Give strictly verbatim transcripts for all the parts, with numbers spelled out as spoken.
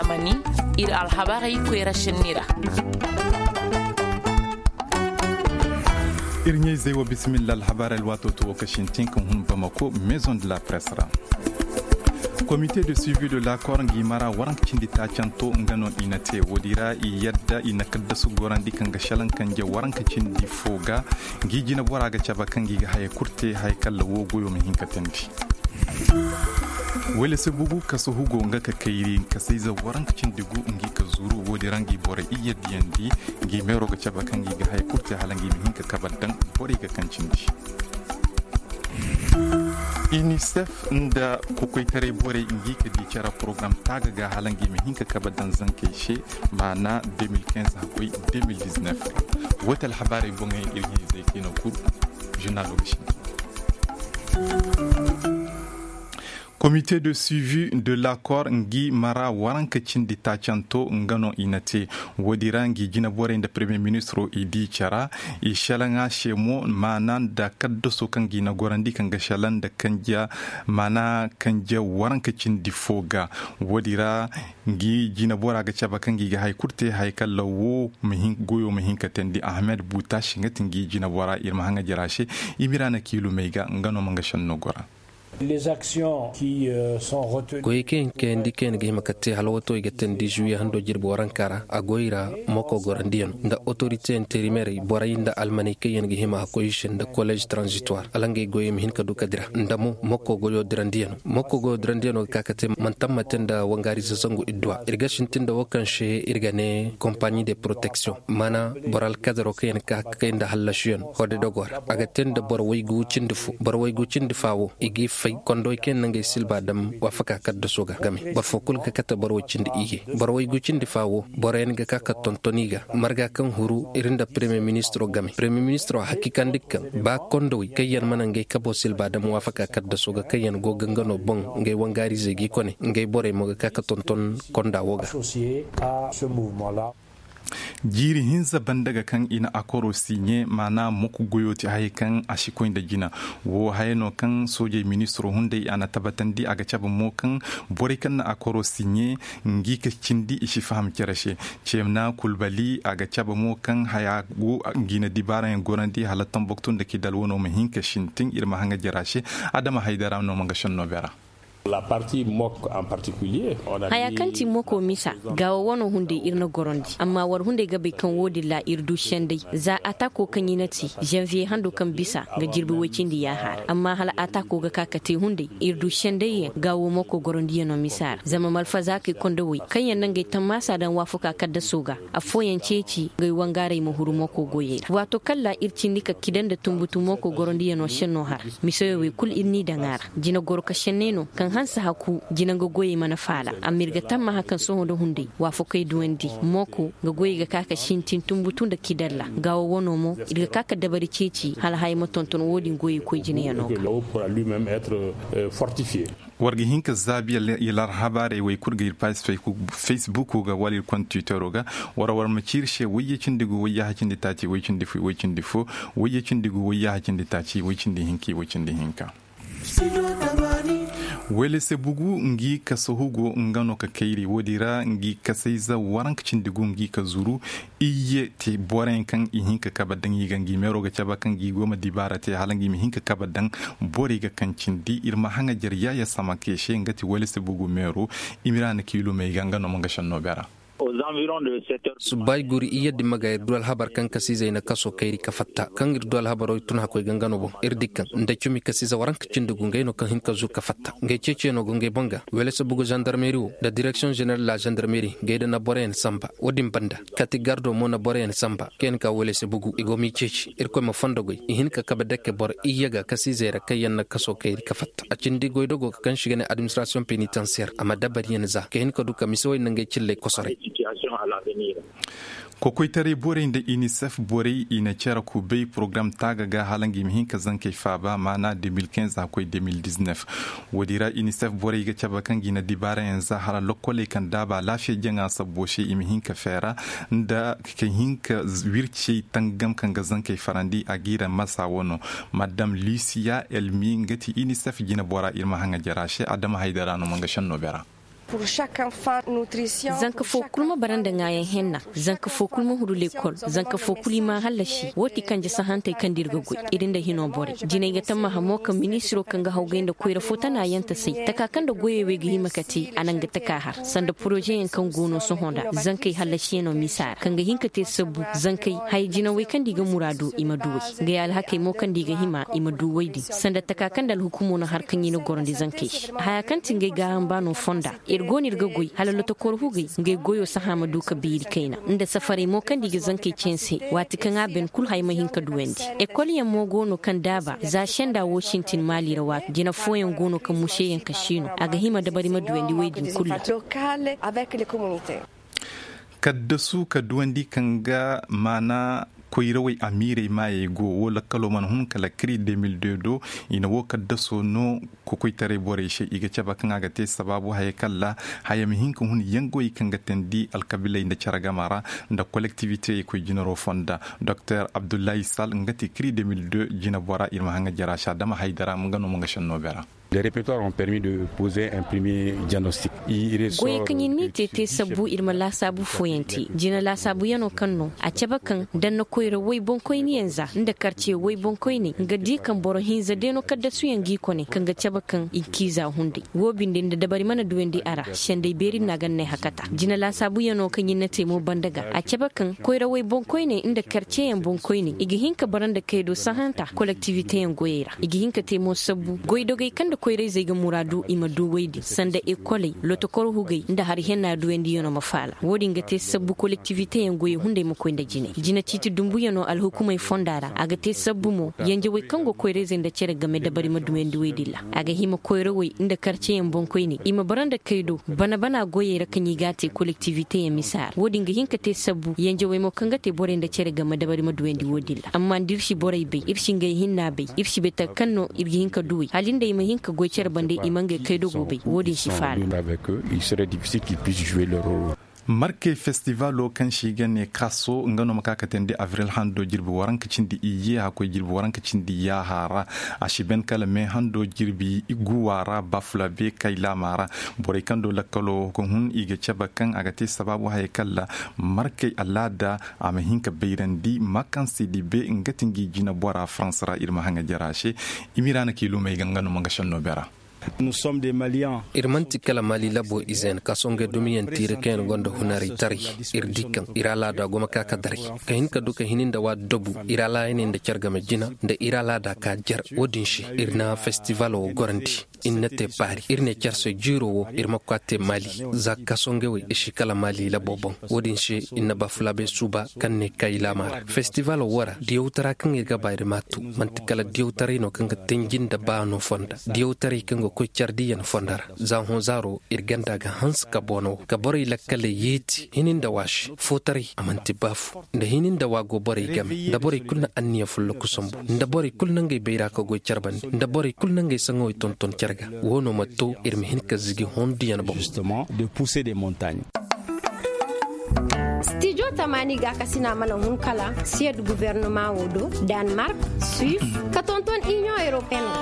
Mani, iri alhabarey koyra senni ra. Iri ɲayzey wo, bisimilla. Alhabarey alwaato to wo ka sintin ka hun bamako maison de la presse ra. Comité de suivi de l'accord ngi mara waranka cindi taacanto nga no i na te. Woodi ra i yadda i na kaddasu gorandi kaŋ ga selaŋ kanje waranka cindi fo ga. Ngi jina bora ga cabe kaŋ ngi ga haya kulu te haya kalla wo goyo ma hin ka tandi. Wele se bugu kaso hugo nga ka kayri kasayze waranka cindi gu ngi ka zuru. Woodi ra ngi boro iyye diyandi. Ngi meero ga cabe kaŋ ngi ga haya kulu te hala ngi ma hin ka kabar daŋ borey ga kaŋ cindi. Unicef nda kokoytaray borey ngi ka di care porogaram taaga ga hala ngi ma hin ka kabe daŋ zankey se. Maana deux mille quinze hakkoy deux mille dix-neuf. Wo ti alhabaarey boŋey iri ɲayzey kaŋ i na kuru. Journalo ga sintin. Comité de suivi de l'accord ngi mara waranka cindi taacanto nga no i na te. Woodi ra ngi jina borey nda premier ministro i di care. I selaŋa se mo maana nda kaddaso kaŋ ga i na gorandi kaŋ ga selaŋ nda kanje maana kanje waranka cindi fo ga. Woodi ra ngi jina bora ga cabe kaŋ ngi ga haya kulu te haya kalla wo goyo ma hin ka tandi. Ahmed butashi nga ti ngi jina bora iri ma haŋa jara se. Imira na kiilumey ga nga no ma nga senno gora. Goyey kaŋ yaŋ ga hima ka te hala wato i ga teendi zuwiye hando jirbi waranka ra a goy ra. Moko gorandiyano nda otorite interimerey borey nda almaney kaŋ yaŋ ga hima a koy i se nda kolleez transitoire hala ngey goyey ma hin ka du ka dira nda mo moko goyo dirandiyano ga ka ka te mantammate nda wangaarize zangu idduwa iri ga sintin nda wo kaŋ se iri ga ne kompaɲi de protection mana boro alkadaro kaŋ yaŋ ga ka ka kay nda hallasuyaŋ horde dogo ra a ga te nda boro waygu cindi fo boro waygu cindi fa wo i g'i fay kondoy kaŋ yaŋ na ngey silba dam waafaka kaddaso ga game boro fo kulu ga kate boro way cindi iyye boro waygu cindi fa wo boro yaŋ ga ka ka tonton i ga marga kaŋ huru iri nda premier ministro game premier ministro a hakiikandi kaŋ ba kondowey kaŋ yaŋ mana ngey kabo silba dam waafaka kaddaso ga kaŋ yaŋ go ga nga no boŋ ngey wangaarizey g'i kone ngey borey mo ga ka ka tonton konda wo ga. Jiiri hinza banda ga kaŋ i na akoro siɲe maana moko goyo te haya kaŋ a si koy nda jina. Wo haya no kaŋ soojey ministiro hunday a na tabbatandi a ga cabe mo kaŋ borey kaŋ na akoro siɲe ngi ka cindi i si faham care se. Ceena kulbali a ga cabe mo kaŋ haya go ngi na dibaarayaŋ gorandi hala tamboktu nda kidal wano ma hin ka sintin iri ma haŋa jara se. Adama haydara no ma nga senno beera. Haya kaŋ ti moko misa gaawo wano hunday iri na gorandi amma war hunday ga bay kaŋ wo-din ra iri du senday za atako kaŋ i na te zanviye hando kaŋ bisa ga jirbi way-cindi yaaha ra amma hala atako ga ka ka te hunday iri du senday yaŋ gaawo moko gorandiyano misa ra zama malfazaakey kondowey kaŋ yaŋ na ngey tammaasa daŋ waafaku a kaddaso ga afooyaŋ ceeci ngey wangaaray ma huru moko goyey ra waato kaŋ ra iri cindi ka kida nda tunbutu moko gorandiyano senno hara. Misoyawey kulu iri n'i daŋ a ra jina goro ka senney no kaŋ hanse haku jina nga goyey mana faala amma iri ga tammaha kaŋ sohõ nda hunday waafakey duwandi mooko nga goyey ga ka ka sintin tunbutu nda kidalla gaawo wano mo iri ga ka ka dabari ceeci hala haya ma tonton wo-din goyey koy jinayano ga. War ga hin ka zaabi yallar habaarey wey kulu ga iri paaji facebook ga wala iri konda twittero ga. War war ma ci iri se wayye cindi gu wayye hacindi taaci way cindi fo way cindi fo wayye cindi gu wayye hacindi taaci way cindi hinka way cindi hinka. Wele se bugu ngi ka sohugo nga no ka kayri wo-din ra ngi kasayza waranka cindi gu ngi ka zuru. Iyye te boro yaŋ kaŋ i hin ka kabe daŋ i ga ngi meero ga cabe kaŋ ngi go ma dibaara te hala ngi ma hin ka kabe daŋ. Borey ga kaŋ cindi iri ma haŋajer yaaya samake se nga ti wele se bugu meero. Imira na kiilumey ga nga no ma nga senno beera. Subbay guri iyye dimma ga iri du alhabar kaŋ kasiizey na kaso kayri ka fatta kaŋ iri du alhabaro iri tun hakkoy ga nga no boŋ iri di kaŋ nda cumi kasiize waranka cindi gu ngey no kaŋ hin ka zuru ka fatta ngey ceeciyaŋo go ngey boŋ ga. Wele se bugu zandarmeri wo nda direksiyoŋ zeneral la zandarmeri ngey da na boroyaŋ samba wo-din banda kati gardo mo na boroyaŋ samba kaŋ yaŋ ka wele se bugu i go m'i ceeci irkoy ma fondo goy i hin ka kabe dake boro iyye ga kasiizey ra kaŋ yaŋ na kaso kayri ka fatta a cindi goydogo ga kaŋ se i ga ne administrasiyoŋ penitansiyer a ma dabariyaŋ za ka hin ka du ka misewey nangey cilley kosoray. Kokoytaray borey nda inisef borey i na care kubay porogaram taaga ga hala ngi ma hin ka zankey faaba maana deux mille quinze a koy deux mille dix-neuf. Wo-din ra inisef borey ga cabe kaŋ ngi na dibaarayaŋ za hala lokkoley kaŋ daaba laafiya jaŋa sabbo se i ma hin ka feera nda ka hin ka wircey tangam kaŋ ga zankey farandi a g'i ra masa wano. Madam lusiya elmi nga ti inisef jina bora iri ma haŋa jara se adama haydara no ma nga senno beera. Zanka fo kulu ma bara nda ŋwaayaŋ henna. Zanka fo kulu ma huru lekol. Zanka fo kulu i ma a hallasi wo ti kanje sahantey kaŋ da iri ga goy. Iri nda hino borey jinay ga tammaha mo kaŋ ministiro kaŋ ga hawgay nda koyra fo tana yaŋ tasay taka kaŋ nda goyey wey ga hima ka te a naŋ ga taka har sanda porozeyaŋ kaŋ go no sohõ nda zankey hallasiyaŋo misa ra kaŋ ga hin ka te sabbu zankey haya jinawey kaŋ da i ga muraadu i ma duwey. Ngey alhakey mo kaŋ da i ga hima i ma duwey din sanda taka kaŋ nda alhukumo na har kaŋ i na gorandi zankey se haya kaŋ ti ngey gaaham baano fonda. Iri go no iri ga goy hala lotokor hugey ngey goyo sahã ma du ka beeri kayna nda safarey mo kaŋ da i ga zankey ceensey waati kaŋ a ben kulu haya ma hin ka duwandi. Ekol yaŋ mo go no kaŋ daaba za senda wo sintin maali ra waati jina fooyaŋ go no kaŋ museyaŋ ka siino a ga hima dabari ma duwandi wey din kulu ra. Kaddasu ka duwandi kaŋ ga maana koyrawey amiirey maayey go wo lakkalo mana hun kala kiri deux mille deux do. I na wo kaddaso no kokoytaray borey se i ga cabe kaŋ a ga te sabaabu hayey kaŋ ra haya ma hin ka hun yangowey kaŋ ga teendi alkabiiley nda care gama ra nda kolektiwiteyey koy jinaro fonda. Doktor abdullahi sal nga te kiri deux mille deux jinabora iri ma haŋ ga jara se adama haydara nga no ma nga senno beera. Goyey kaŋ iri n'i te te sabbu iri ma laasaabu fooyaŋ te jina laasaabuyaŋo kaŋ no a cabe kaŋ danna koyra woy boŋkoyniyaŋ za nda karce woy boŋkoyney nga di kaŋ boro hinza deeno kaddasuyaŋ g'i kone kaŋ ga cabe kaŋ i n'i za hunday wo binde nda dabari mana duwandi a ra senday beeri no a ga n'ay hakata jina laasaabuyaŋo kaŋ iri na te mo banda ga a cabe kaŋ koyra woy boŋkoyney nda karceyaŋ boŋkoyney i ga hin ka bara nda kaydo sahanta kolektiwiteyaŋ goyey ra i ga hin ka te mo sabbu goydogey kaŋ nda koyrayzey ga muraadu i ma du woy din sanda ekoley lotokor hugey nda hari henna duwandiyano ma faala wo- din ga te sabbu kolektiwiteyaŋ goyey hunday ma koy nda jinay jina ciiti dumbuyano alhukumey fonda ra a ga te sabbu mo yanjawey kaŋ go koyrayzey nda care game dabari ma duwandi woy din ra a ga hima koyrawey nda karceyaŋ boŋkoyney i ma bara nda kaydo bana bana goyey ra kaŋ i ga a te kolektiwiteyaŋ misa ra wo- din ga hin ka te sabbu yanjawey mo kaŋ ga te borey nda care game dabari ma duwandi wo- din ra amma nda iri si borey bay iri si ngey hinna bay iri si bay taka kaŋ no iri ga hin ka duwey hala nda i ma hin ka goy care bande i ma ngey kaydogo bay wo- din si faala. Markey festivalo kaŋ se i ga ne kaso nga no ma ka ka teendi abril hando jirbi waranka cindi iyye hakkoy jirbi waranka cindi yaaha ra. A si ban kala me hando jirbi guwa ra bafulabe kaylaama ra. Borey kaŋ do lakkalo ga hun i ga cabe kaŋ a ga te sabaabu hayey kaŋ ra markey alaada a ma hin ka bayrandi makansi dibe nga ti ngi jina bora farans ra iri ma haŋa jara se. Imira na kiilumey ga nga no ma nga senno beera. Iri manti kala mali labo ize yaŋ kaso ngey dumiyaŋ tiiri kaŋ yaŋ gonda hunaraytaray. Iri di kaŋ iri alaada go ma ka ka daray ka hin ka du ka hini nda waati dabu iri alaayaney nda care game jina nda iri alaada ka jer wo- din se iri na festivalo wo gorandi. Iri na te baari iri ne care se jiiro wo iri ma koy a te mali za kaso ngey wo iri si kala mali labo boŋ. Wo- din se iri na bafulabe suuba kaŋ ne kaylaama ra festivalo wo ra diyawtara kaŋ iri ga ba iri ma a tu manti kala diyawtaray no kaŋ ga tanji nda baano fonda diyawtaray kaŋ ga koy care diiyaŋ fonda ra. Za hõ zaaro iri ganda ga hanse ka boono wo ka borey lakkaley yeeti hini nda waasi footaray a manti baafu nda hini nda waago borey game nda borey kulu na anniya folloku sambu nda borey kulu na ngey bayra ka goy care bande nda borey kulu na ngey saŋawey tonton care ga. Wo no ma to iri ma hin ka zigi honduyaŋ boŋ. Stijo tamaani gaakasina mana hun kala siyad guvernama wo do, danmark, suisse, ka tonton union européenne.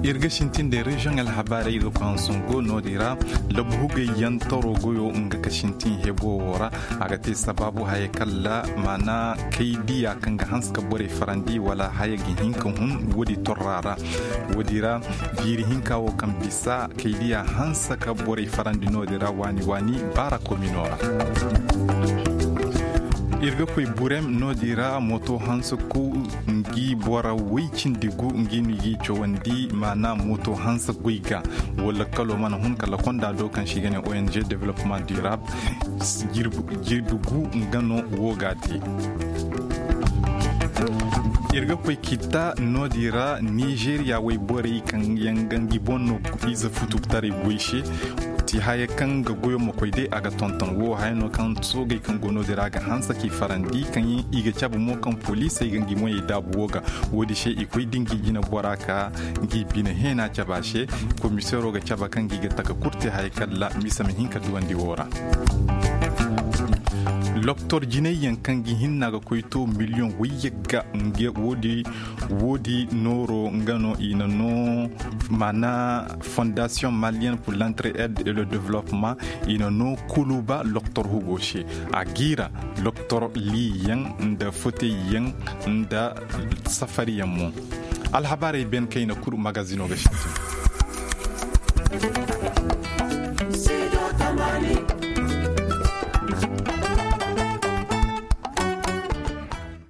Iri ga sintin de reziyoŋ alhabaarey iri ga koy hansango no- din ra. Labu hugay yaŋ taro goyo nga ka sintin hebo wo ra. A ga te sabaabu haya kalla maana kay diya kaŋ ga hanse ka borey farandi wala haya ga hin ka hun woodi torra ra. Woodi ra jiiri hinka wo kaŋ bisa kay diya hanse ka borey farandi no- din ra waani waani baara komino ra. Iri ga koy burem no- din ra moto hanse ku ngi bora way cindi gu ngi no i ga i cawandi maana moto hanse goy ga. Wala kalo mana hun kala konda do kaŋ se i ga ne ong développement durable. Jirbi gu nga no wo ga a te. Iri ga koy kita no- din ra nizeeriya wayborey kaŋ yaŋ ga ngi boŋ no ize futukutaray goy se. Ti haya kaŋ ga goyo ma koy day a ga tonton wo haya no kaŋ soogey kaŋ go no- din ra ga hanse k'i farandi kaŋ i ga cabe mo kaŋ poliisey ga ngi moyey daabu wo ga. Wo- din se i koy da ngi jina bora ka ngi bine heena cabe a se. Komiseero ga cabe kaŋ ngi ga taka kulu te haya kalla misa ma hin ka duwandi wo ra. Loktor jinay yaŋ kaŋ ga hinna ga koy to miliyoŋ wayyagga. Woodi nooro nga no i na no mana fondation malienne pour l'entrée aide et le développement. I na no kuluba loktor hugo se a giira loktor liyaŋ nda fotey yaŋ nda safari yaŋ mo. Alhabaarey ben kayna kulu magazino ga sintin.